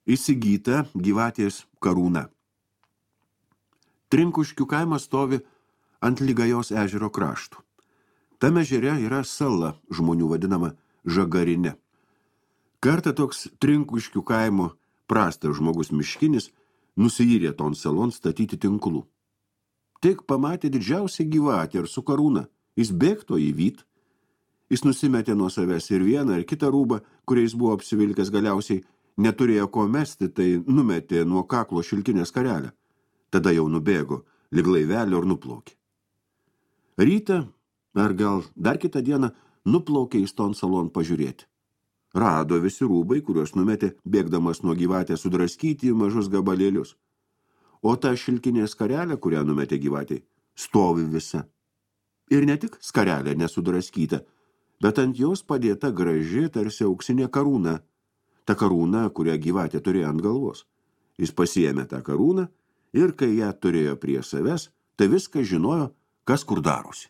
įsigyta gyvatės karūna. Trinkuškių kaimas stovi ant Lygajos ežero kraštų. Tame ežere yra sala žmonių vadinama Žagarinė. Kartą toks Trinkuškių kaimo prastas žmogus miškinis nusiyrė ton salon statyti tinklų. Tik pamatė didžiausią gyvatę ir su karūna. Jis bėgto įvyt. Jis nusimetė nuo savęs ir vieną ir kitą rūbą, kuriais buvo apsivilkęs, galiausiai neturėjo ko mesti, tai numetė nuo kaklo šilkinės skarelę. Tada jau nubėgo lyg laivelio ir nuplaukė. Rytą, ar gal dar kitą dieną, nuplaukė į ton salon pažiūrėti. Rado visi rūbai, kuriuos numetė, bėgdamas nuo gyvatės, sudraskyti į mažus gabalėlius. O ta šilkinė skarelė, kurią numetė gyvatei, stovi visa. Ir ne tik skarelė nesudraskyta, bet ant jos padėta graži, tarsi auksinė karūna. Ta karūna, kurią gyvatė turėjo ant galvos. Jis pasiėmė tą karūną ir kai ją turėjo prie savęs, tai viską žinojo, kas kur darosi.